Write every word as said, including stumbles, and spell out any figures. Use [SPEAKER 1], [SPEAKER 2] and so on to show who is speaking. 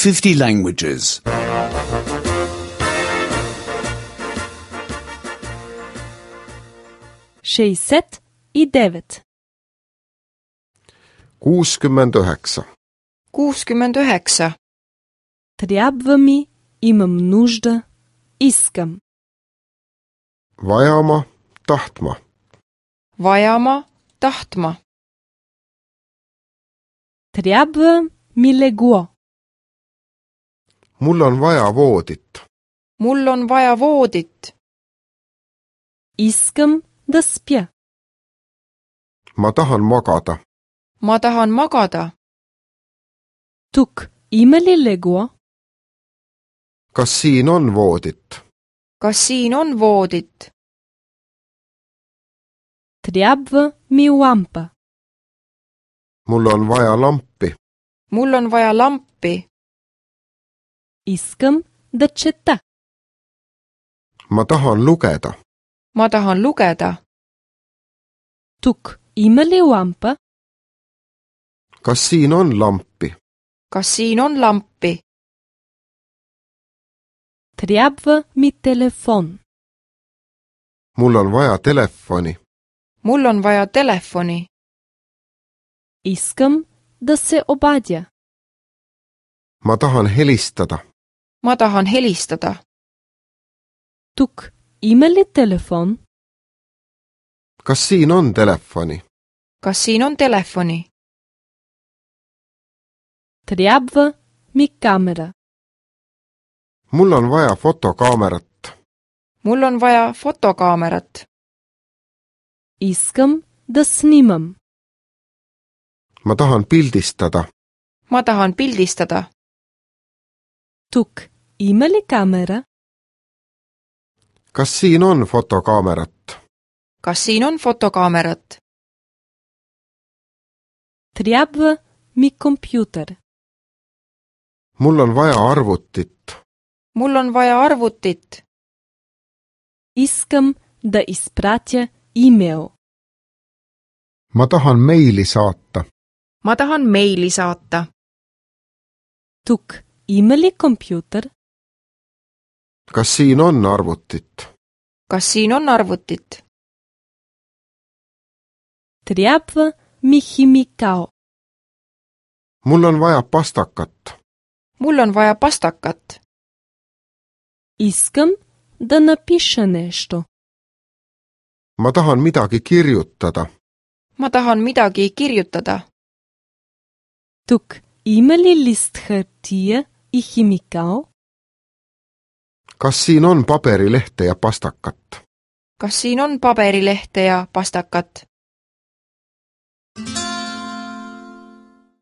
[SPEAKER 1] fifty languages.
[SPEAKER 2] šezdeset i devet.
[SPEAKER 3] kuuskümmend üheksa.
[SPEAKER 4] kuuskümmend üheksa.
[SPEAKER 2] Трябва ми, имам нужда, искам.
[SPEAKER 3] Vajama, tahtma.
[SPEAKER 4] Vajama, tahtma.
[SPEAKER 2] Трябва ми легло.
[SPEAKER 3] Mul on vaja voodit.
[SPEAKER 4] Mul on vaja voodit.
[SPEAKER 2] Искам да спя.
[SPEAKER 3] Ma tahan magada.
[SPEAKER 4] Ma tahan magada.
[SPEAKER 2] Тук има ли легло?
[SPEAKER 3] Kas siin on voodit?
[SPEAKER 4] Kas siin on voodit?
[SPEAKER 2] Трябва ми лампа.
[SPEAKER 3] Mul on vaja lampi.
[SPEAKER 4] Mul on vaja lampi.
[SPEAKER 2] Искам да чета.
[SPEAKER 3] Ma tahan lugeda.
[SPEAKER 4] Ma tahan lugeda.
[SPEAKER 2] Тук има ли лампа?
[SPEAKER 3] Kas siin on lampi?
[SPEAKER 4] Kas siin on lampi?
[SPEAKER 2] Трябва ми телефон.
[SPEAKER 3] Mul on vaja telefoni.
[SPEAKER 4] Mul on vaja telefoni.
[SPEAKER 2] Искам да се обадя.
[SPEAKER 3] Ma tahan helistada.
[SPEAKER 4] Ma tahan helistada.
[SPEAKER 2] Тук има ли телефон?
[SPEAKER 3] Kas siin on telefoni?
[SPEAKER 4] Kas siin on telefoni?
[SPEAKER 2] Трябва ми камера.
[SPEAKER 3] Mul on vaja fotokaamerat.
[SPEAKER 4] Mul on vaja fotokaamerat.
[SPEAKER 2] Искам да снимам.
[SPEAKER 3] Ma tahan pildistada.
[SPEAKER 4] Ma tahan pildistada.
[SPEAKER 2] Тук има ли камера?
[SPEAKER 3] Kas siin on fotokaamerat?
[SPEAKER 4] Kas siin on fotokaamerat?
[SPEAKER 2] Трябва ми компютър.
[SPEAKER 3] Mul on vaja arvutit.
[SPEAKER 4] Mul on vaja arvutit.
[SPEAKER 2] Искам да изпратя имейл.
[SPEAKER 3] Ma tahan meili saata.
[SPEAKER 4] Ma tahan meili saata.
[SPEAKER 2] Тук има ли компютър?
[SPEAKER 3] Kas siin on arvutit?
[SPEAKER 4] Kas siin on arvutit?
[SPEAKER 2] Трябва ми химикал.
[SPEAKER 3] Mul on vaja pastakat.
[SPEAKER 4] Mul on vaja pastakat.
[SPEAKER 2] Искам да напиша нещо.
[SPEAKER 3] Ma tahan midagi kirjutada.
[SPEAKER 4] Ma tahan midagi kirjutada.
[SPEAKER 2] Тук има ли лист хартия и химикал?
[SPEAKER 3] Kas siin on paberilehte ja pastakat?
[SPEAKER 4] Kas siin on paberilehte ja pastakat?